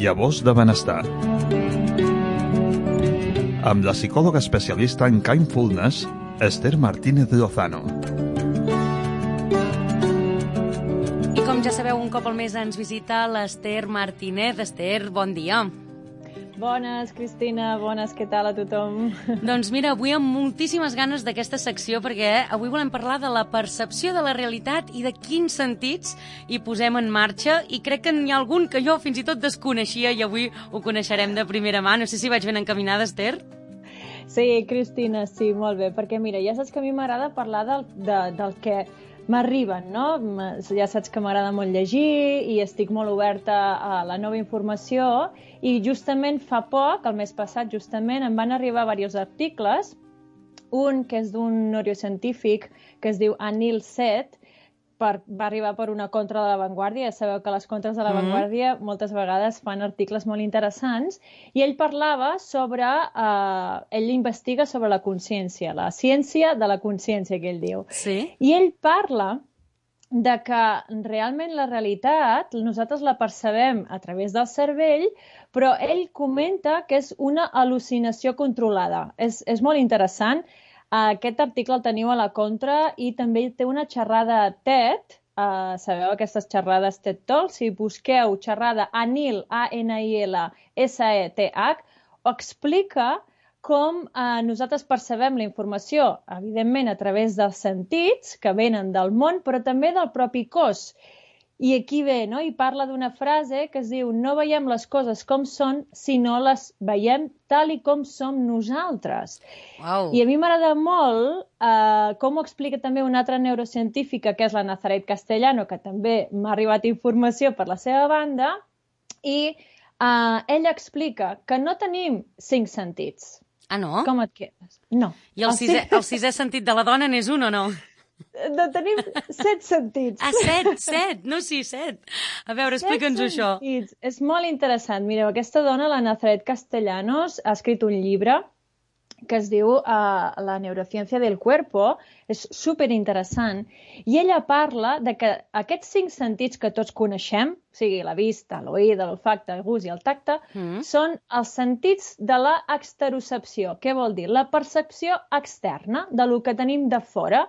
Llavors de benestar. Amb la psicòloga especialista en Kindfulness, Esther Martínez Lozano. I com ja sabeu, un cop al mes ens visita l'Esther Martínez. Esther, bon dia. Bones, Cristina, bones, què tal a tothom? Doncs mira, avui amb moltíssimes ganes d'aquesta secció, perquè avui volem parlar de la percepció de la realitat i de quins sentits hi posem en marxa, i crec que n'hi ha algun que jo fins i tot desconeixia i avui ho coneixerem de primera mà. No sé si vaig ben encaminada, Esther? Sí, Cristina, sí, molt bé, perquè mira, ja saps que a mi m'agrada parlar del que m'arriben, no? Ja saps que m'agrada molt llegir i estic molt oberta a la nova informació, i justament fa poc, el mes passat justament, em van arribar diversos articles, un que és d'un neurocientífic que es diu Anil Seth, va arribar per una contra de La Vanguardia. Ja sabeu que les contres de La Vanguardia moltes vegades fan articles molt interessants, i ell parlava sobre, ell investiga sobre la consciència, la ciència de la consciència, que ell diu. Sí. I ell parla de que realment la realitat nosaltres la percebem a través del cervell, però ell comenta que és una al·lucinació controlada. És molt interessant. Aquest article el teniu a la contra, i també té una xerrada TED, sabeu aquestes xerrades TED Talks? Si busqueu xerrada Anil, A-N-I-L, S-E-T-H, explica com nosaltres percebem la informació, evidentment a través dels sentits que venen del món, però també del propi cos. I aquí ve, no? I parla d'una frase que es diu: no veiem les coses com són, sinó les veiem tal i com som nosaltres. Wow. I a mi m'agrada molt com ho explica també una altra neurocientífica, que és la Nazaret Castellano, que també m'ha arribat informació per la seva banda, i ella explica que no tenim 5 sentits. Ah, no? Com et quedes? No. I el sisè sentit de la dona n'és un o no? Tenim 7 sentits. Ah, 7, no 6, 7. A veure, explica'ns això. És molt interessant. Mireu, aquesta dona, la Nazaret Castellanos, ha escrit un llibre que es diu La neurociencia del cuerpo. És superinteressant. I ella parla de que aquests 5 sentits que tots coneixem, o sigui, la vista, l'oïda, l'olfacte, el gust i el tacte, són els sentits de la exterocepció. Què vol dir? La percepció externa de lo que tenim de fora.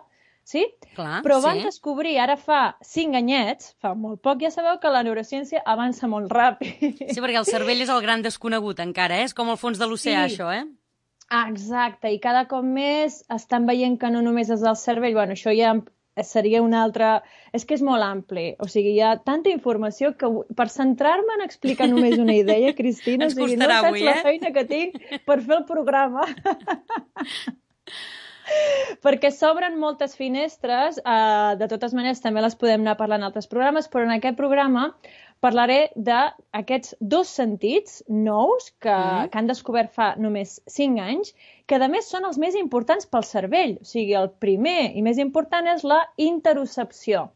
Sí? Clar, però van sí. descobrir, ara fa 5 anyets, fa molt poc, ja sabeu que la neurociència avança molt ràpid. Sí, perquè el cervell és el gran desconegut encara, És com el fons de l'oceà, Sí. això, Exacte, i cada cop més estan veient que no només és el cervell, bueno, això ja seria una altra... És que és molt ampli, o sigui, hi ha tanta informació que per centrar-me en explicar només una idea, Cristina, Ens o sigui, costarà no saps avui, la feina que tinc per fer el programa. Perquè s'obren moltes finestres, de totes maneres també les podem anar parlant en altres programes, però en aquest programa parlaré d'aquests 2 sentits nous que han descobert fa només 5 anys, que a més són els més importants pel cervell. O sigui, el primer i més important és la interocepció,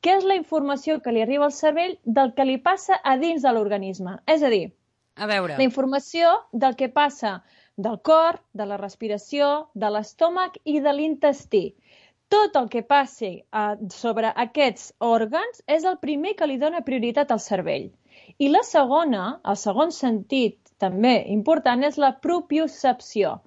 que és la informació que li arriba al cervell del que li passa a dins de l'organisme. És a dir, A veure. la informació del que passa del cor, de la respiració, de l'estómac i de l'intestí. Tot el que passi sobre aquests òrgans és el primer que li dona prioritat al cervell. I la segona, el segon sentit també important, és la propiocepció,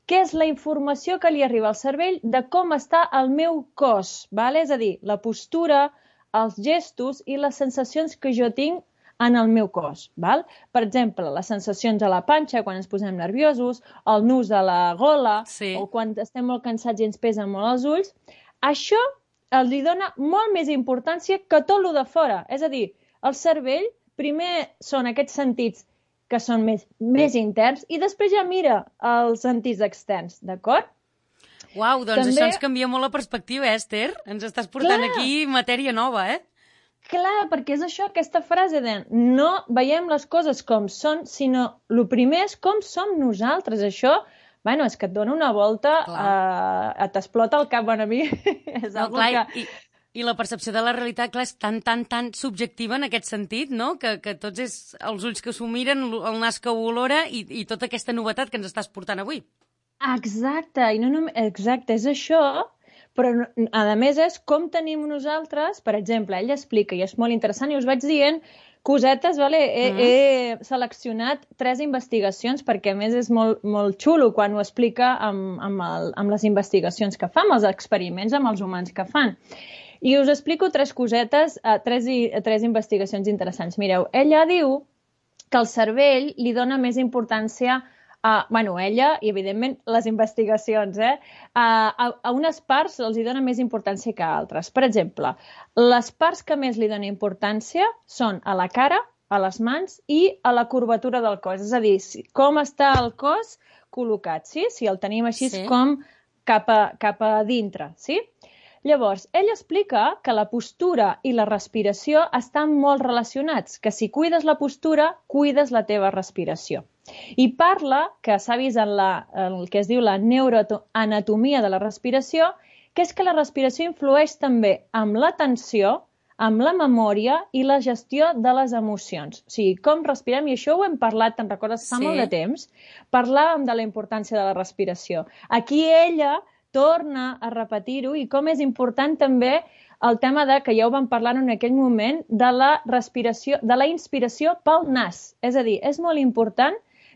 que és la informació que li arriba al cervell de com està el meu cos, val? És a dir, la postura, els gestos i les sensacions que jo tinc en el meu cos. Val? Per exemple, les sensacions a la panxa quan ens posem nerviosos, el nus a la gola, Sí. o quan estem molt cansats i ens pesen molt els ulls. Això li dona molt més importància que tot lo de fora. És a dir, el cervell primer són aquests sentits que són més interns, i després ja mira els sentits externs, d'acord? Uau, doncs També- això ens canvia molt la perspectiva, Esther? Ens estàs portant Clar. aquí matèria nova, Clar, perquè és això, aquesta frase de no veiem les coses com són, sinó el primer és com som nosaltres. Això, bueno, és que et dona una volta, t'explota el cap, bueno, a mi. És No, algo clar, que... i la percepció de la realitat, clar, és tan subjectiva en aquest sentit, no? Que tots és els ulls que s'ho miren, el nas que ho olora i tota aquesta novetat que ens estàs portant avui. Exacte, i no només... Exacte, és això, però a més és com tenim nosaltres, per exemple, ell explica, i és molt interessant, i us vaig dient cosetes, vale? He seleccionat 3 investigacions perquè, a més, és molt xulo quan ho explica amb les investigacions que fa, amb els experiments amb els humans que fan. I us explico 3 cosetes, 3 investigacions interessants. Mireu, ella diu que el cervell li dona més importància ella i, evidentment, les investigacions, a unes parts els hi dona més importància que a altres. Per exemple, les parts que més li dona importància són a la cara, a les mans i a la curvatura del cos. És a dir, com està el cos col·locat, sí? Si el tenim així com cap a dintre, sí? Llavors, ell explica que la postura i la respiració estan molt relacionats, que si cuides la postura, cuides la teva respiració. I parla, que s'ha vist en el que es diu la neuroanatomia de la respiració, que és que la respiració influeix també amb l'atenció, amb la memòria i la gestió de les emocions. O sigui, com respirem, i això ho hem parlat, te'n recordes, fa molt de temps, parlàvem de la importància de la respiració. Aquí ella torna a repetir-ho i com és important també el tema que ja ho vam parlar en aquell moment, de la respiració, de la inspiració pel nas. És a dir, és molt important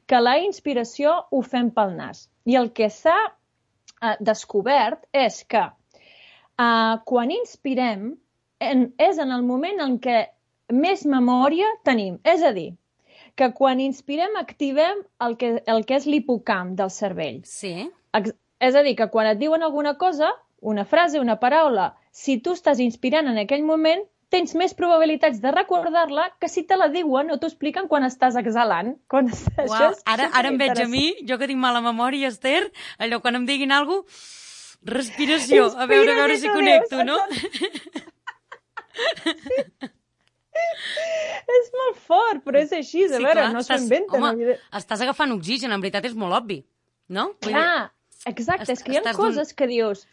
que la inspiració ho fem pel nas. I el que s'ha descobert és que quan inspirem és en el moment en què més memòria tenim. És a dir, que quan inspirem activem el que és l'hipocamp del cervell. Sí. És a dir, que quan et diuen alguna cosa, una frase, una paraula, si tu estàs inspirant en aquell moment, tens més probabilitats de recordar-la que si te la diuen o t'ho expliquen quan estàs exhalant. Uau, ara em veig a mi, jo que tinc mala memòria, Esther, allò quan em diguin alguna cosa, respiració, a veure si connecto, no? És molt fort, però és així, a veure, no s'ho inventen. Home, estàs agafant oxigen, en veritat és molt obvi, no? Clar, exacte, és que hi ha coses que dius,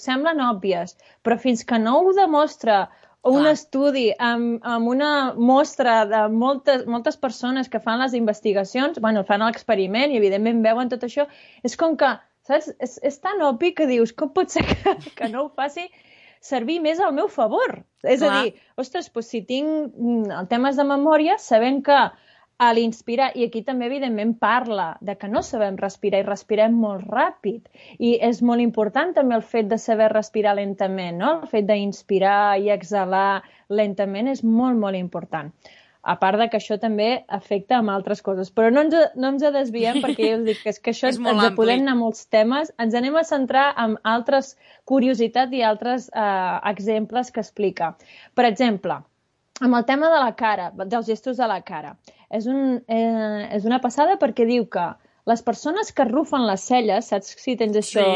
semblen òbvies, però fins que no ho demostra un estudi amb una mostra de moltes persones que fan les investigacions, fan l'experiment i evidentment veuen tot això, és com que, saps, és tan obvi que dius, com pot ser que no ho faci servir més al meu favor? És a dir, ostres, si tinc temes de memòria, sabem que a l'inspirar, i aquí també evidentment parla de que no sabem respirar i respirem molt ràpid, i és molt important també el fet de saber respirar lentament, no? El fet d'inspirar i exhalar lentament és molt, molt important. A part de que això també afecta amb altres coses. Però no ens desviem, perquè ja us dic que és que això ens podem anar a molts temes. Ens anem a centrar en altres curiositats i altres exemples que explica. Per exemple, amb el tema de la cara, dels gestos de la cara. És una passada perquè diu que les persones que arrufen les celles, saps si tens això,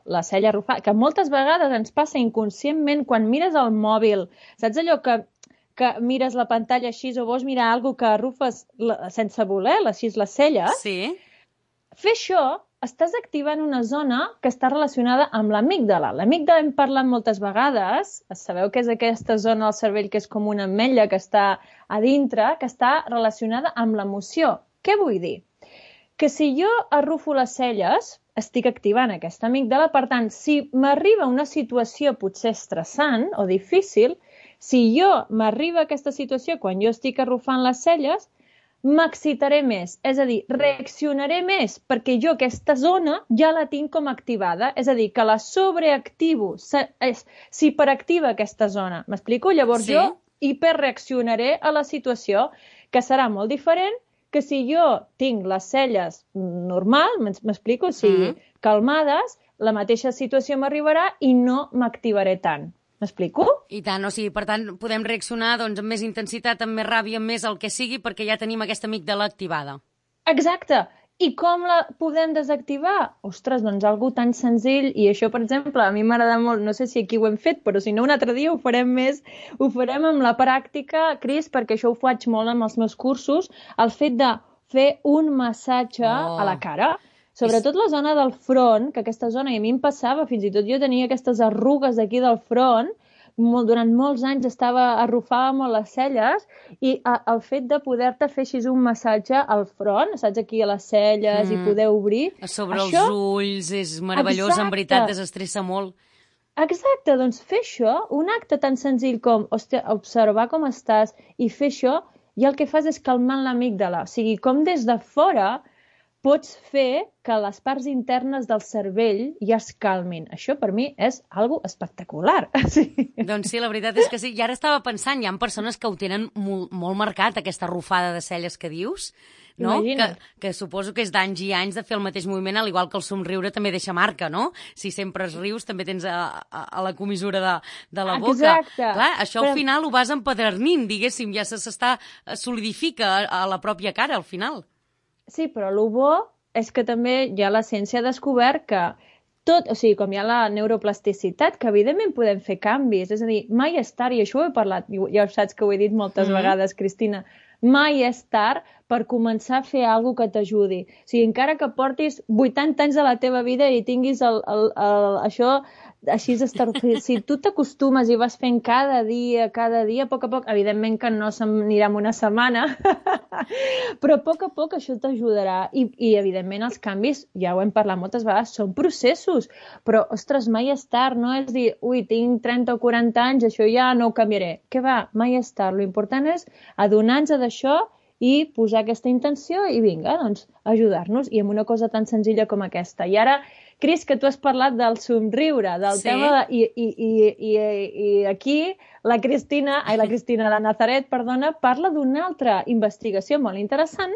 la cella arrufada, que moltes vegades ens passa inconscientment quan mires el mòbil, saps allò que mires la pantalla així o vols mirar alguna que arrufes sense voler, així les celles? Sí. Fer això estàs activant una zona que està relacionada amb l'amígdala. L'amígdala hem parlat moltes vegades, sabeu que és aquesta zona del cervell que és com una ametlla que està a dintre, que està relacionada amb l'emoció. Què vull dir? Que si jo arrufo les celles, estic activant aquesta amígdala, per tant, si m'arriba una situació potser estressant o difícil, si m'arriba aquesta situació quan jo estic arrufant les celles, m'excitaré més, és a dir, reaccionaré més, perquè jo aquesta zona ja la tinc com activada, és a dir, que la sobreactivo, s'hiperactiva aquesta zona. M'explico? Llavors jo hiperreaccionaré a la situació, que serà molt diferent que si jo tinc les celles normal, m'explico? O sigui, calmades, la mateixa situació m'arribarà i no m'activaré tant. M'explico? I tant, o sigui, per tant, podem reaccionar amb més intensitat, amb més ràbia, amb més el que sigui, perquè ja tenim aquesta amígdala activada. Exacte. I com la podem desactivar? Ostres, doncs algo tan senzill, i això, per exemple, a mi m'agrada molt, no sé si aquí ho hem fet, però si no un altre dia ho farem més, ho farem amb la pràctica, Cris, perquè això ho faig molt amb els meus cursos, el fet de fer un massatge a la cara. Sobretot la zona del front, que aquesta zona, i a mi em passava, fins i tot jo tenia aquestes arrugues aquí del front, durant molts anys arrufava molt les celles, i el fet de poder-te fer així un massatge al front, saps, aquí a les celles, i poder obrir... Sobre els ulls, és meravellós, en veritat, desestressa molt. Exacte, doncs fer això, un acte tan senzill com observar com estàs i fer això, i el que fas és calmant l'amígdala. O sigui, com des de fora pots fer que les parts internes del cervell ja es calmin. Això per mi és algo espectacular. Sí. Doncs sí, la veritat és que sí. I ara estava pensant, hi ha persones que ho tenen molt marcat, aquesta rufada de celles que dius, no? Que suposo que és d'anys i anys de fer el mateix moviment, al igual que el somriure també deixa marca, no? Si sempre es rius també tens a la comissura de la boca. Exacte. Clar, això al final ho vas empedernint, diguéssim, ja solidifica a la pròpia cara al final. Sí, però el bo és que també ja la ciència ha descobert que tot, o sigui, com hi ha la neuroplasticitat, que evidentment podem fer canvis, és a dir, mai és tard, i això ho he parlat, ja saps que ho he dit moltes vegades, Cristina, mai és tard per començar a fer alguna cosa que t'ajudi. O sigui, encara que portis 80 anys de la teva vida i tinguis això així si tu t'acostumes i vas fent cada dia, a poc, evidentment que no s'anirà en una setmana, però a poc això t'ajudarà. I evidentment els canvis, ja ho hem parlat moltes vegades, són processos, però, ostres, mai és tard, no és dir, ui, tinc 30 o 40 anys, això ja no ho canviaré. Què va? Mai és tard. L'important és adonar-nos d'això i posar aquesta intenció i vinga, doncs, ajudar-nos, i amb una cosa tan senzilla com aquesta. I ara, Cris, que tu has parlat del somriure, del tema i aquí la Nazaret, perdona, parla d'una altra investigació molt interessant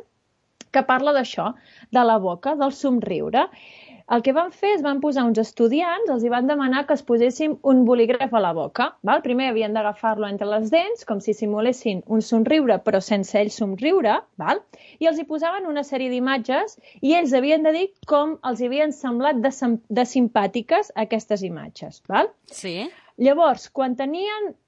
que parla d'això, de la boca, del somriure. El que van fer és van posar uns estudiants, els hi van demanar que es posessin un bolígraf a la boca. Val? Primer havien d'agafar-lo entre les dents, com si simulessin un somriure, però sense ells somriure, val? I els hi posaven una sèrie d'imatges i ells havien de dir com els havien semblat de simpàtiques aquestes imatges. Val? Sí. Llavors,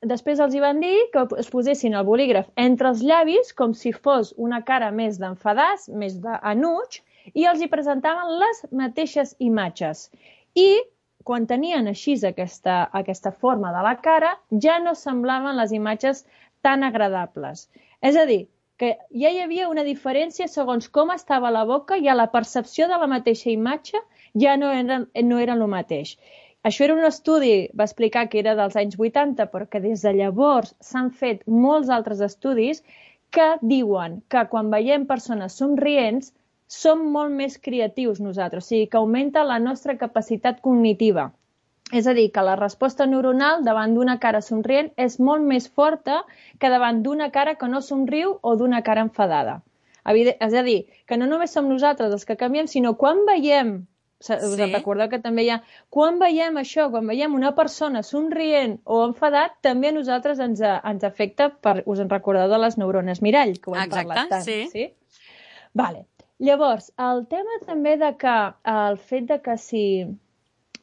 després els hi van dir que es posessin el bolígraf entre els llavis com si fos una cara més d'enfadàs, més d'enuig, i els hi presentaven les mateixes imatges. I quan tenien així aquesta forma de la cara, ja no semblaven les imatges tan agradables. És a dir, que ja hi havia una diferència segons com estava la boca i a la percepció de la mateixa imatge ja no era el mateix. Això era un estudi, va explicar que era dels anys 80, però que des de llavors s'han fet molts altres estudis que diuen que quan veiem persones somrients som molt més creatius nosaltres, o sigui que augmenta la nostra capacitat cognitiva. És a dir, que la resposta neuronal davant d'una cara somrient és molt més forta que davant d'una cara que no somriu o d'una cara enfadada. És a dir, que no només som nosaltres els que canviem, sinó quan veiem, us recordeu que també hi ha, quan veiem això, quan veiem una persona somrient o enfadat, també a nosaltres ens afecta, us en recordeu de les neurones mirall, que ho hem parlat tant. Sí? Vale. Llavors, el tema també el fet de que si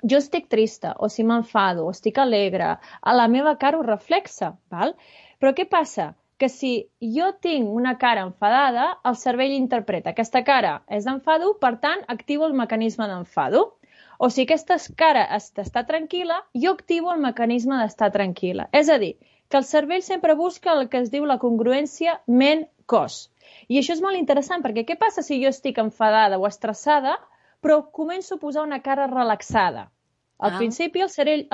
jo estic trista o si m'enfado o estic alegre, a la meva cara ho reflexa, val? Però què passa? Que si jo tinc una cara enfadada, el cervell interpreta aquesta cara és d'enfado, per tant, activo el mecanisme d'enfado. O si aquesta cara està tranquil·la, jo activo el mecanisme d'estar tranquil·la. És a dir, que el cervell sempre busca el que es diu la congruència ment-cos. I això és molt interessant, perquè què passa si jo estic enfadada o estressada, però començo a posar una cara relaxada? Al principi el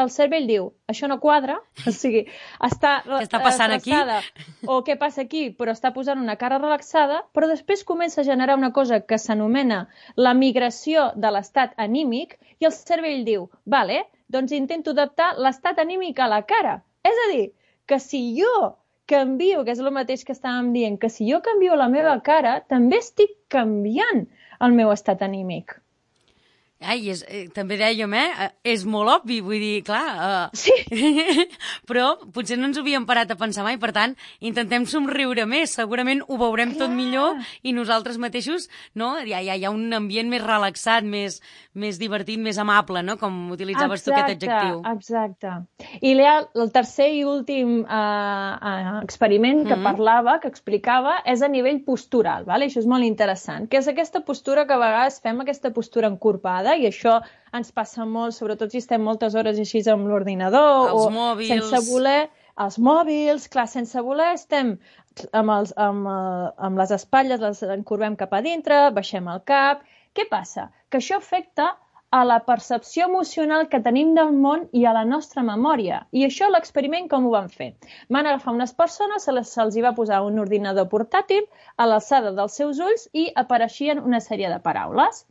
cervell diu, això no quadra, o sigui, està estressada, o què passa aquí, però està posant una cara relaxada, però després comença a generar una cosa que s'anomena la migració de l'estat anímic, i el cervell diu, vale, doncs intento adaptar l'estat anímic a la cara. És a dir, que si jo canvio, que és el mateix que estàvem dient, que si jo canvio la meva cara, també estic canviant el meu estat anímic. Ai, també dèiem, és molt obvi, vull dir, clar, sí. Però potser no ens ho havíem parat a pensar mai, per tant, intentem somriure més, segurament ho veurem tot millor i nosaltres mateixos, no? Hi ha un ambient més relaxat, més divertit, més amable, no? Com utilitzaves tu aquest adjectiu. Exacte. I el tercer i últim experiment que parlava, que explicava, és a nivell postural, vale? Això és molt interessant, que és aquesta postura que a vegades fem, aquesta postura encorpada, i això ens passa molt, sobretot si estem moltes hores així amb l'ordinador o mòbils. Sense voler, els mòbils, clar, sense voler estem amb les espatlles, les encorbem cap a dintre, baixem el cap. Què passa? Que això afecta a la percepció emocional que tenim del món i a la nostra memòria. I això, l'experiment, com ho van fer? Van agafar unes persones, se'ls hi va posar un ordinador portàtil a l'alçada dels seus ulls i apareixien una sèrie de paraules.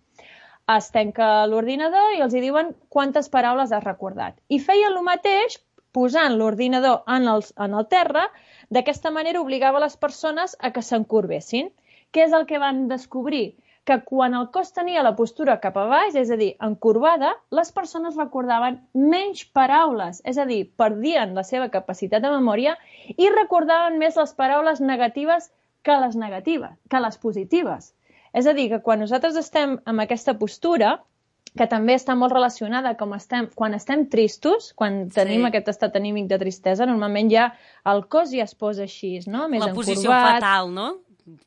Es tanca l'ordinador i els hi diuen quantes paraules has recordat. I feien el mateix posant l'ordinador en el terra, d'aquesta manera obligava les persones a que s'encorbessin. Què és el que van descobrir? Que quan el cos tenia la postura cap a baix, és a dir, encorbada, les persones recordaven menys paraules, és a dir, perdien la seva capacitat de memòria i recordaven més les paraules negatives que les positives. És a dir, que quan nosaltres estem en aquesta postura, que també està molt relacionada quan estem tristos, quan tenim aquest estat anímic de tristesa, normalment ja el cos ja es posa així, no? Més la encorbat. posició fatal, no?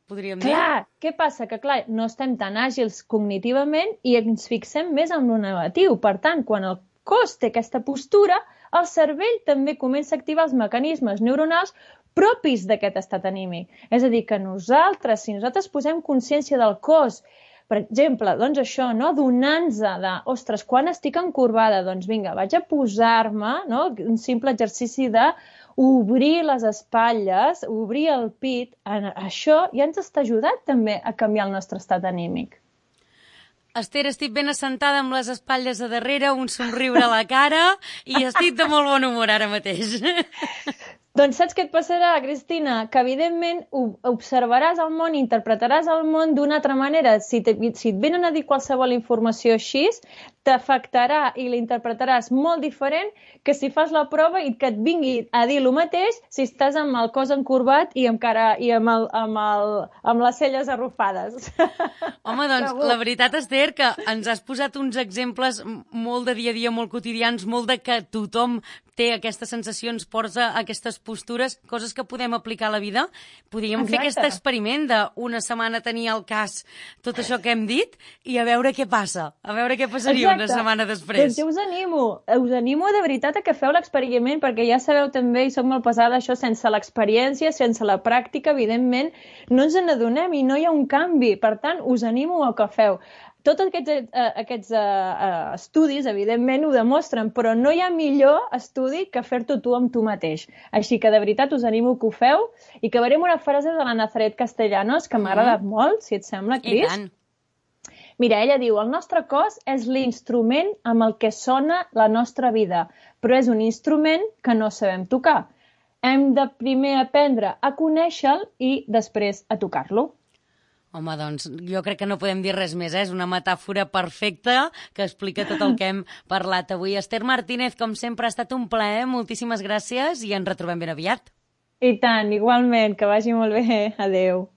Podríem dir. Clar, què passa? Que clar, no estem tan àgils cognitivament i ens fixem més en lo negatiu. Per tant, quan el cos té aquesta postura, el cervell també comença a activar els mecanismes neuronals propis d'aquest estat anímic. És a dir, que si nosaltres posem consciència del cos, per exemple, doncs això, no? Donant-nos de, ostres, quan estic encorbada? Doncs vinga, vaig a posar-me, no? Un simple exercici de obrir les espatlles, obrir el pit, això ja ens està ajudant també a canviar el nostre estat anímic. Esther, estic ben assentada amb les espatlles a darrere, un somriure a la cara i estic de molt bon humor ara mateix. Doncs saps què et passarà, Cristina? Que evidentment observaràs el món, interpretaràs el món d'una altra manera. Si et venen a dir qualsevol informació així, t'afectarà i l'interpretaràs molt diferent que si fas la prova i que et vingui a dir el mateix si estàs amb el cos encorbat i amb les celles arrufades. Home, doncs, la veritat, Esther, que ens has posat uns exemples molt de dia a dia, molt quotidians, molt de que tothom té aquestes sensacions, porta aquestes postures, coses que podem aplicar a la vida. Podríem fer aquest experiment d'una setmana tenir al cas tot això que hem dit i a veure què passa, a veure què passaria una setmana després. Doncs jo us animo de veritat a que feu l'experiment, perquè ja sabeu també, i soc molt pesada, això sense l'experiència, sense la pràctica, evidentment, no ens n'adonem i no hi ha un canvi. Per tant, us animo a que feu. Tots aquests estudis, evidentment, ho demostren, però no hi ha millor estudi que fer-t'ho tu amb tu mateix. Així que, de veritat, us animo que ho feu i que veurem una frase de la Nazaret Castellanos que m'ha agradat molt, si et sembla, Cris. I tant. Mira, ella diu, el nostre cos és l'instrument amb el que sona la nostra vida, però és un instrument que no sabem tocar. Hem de primer aprendre a conèixer-lo i després a tocar-lo. Home, doncs, jo crec que no podem dir res més, És una metàfora perfecta que explica tot el que hem parlat avui. Esther Martínez, com sempre, ha estat un plaer, moltíssimes gràcies i ens retrobem ben aviat. I tant, igualment, que vagi molt bé. Adéu.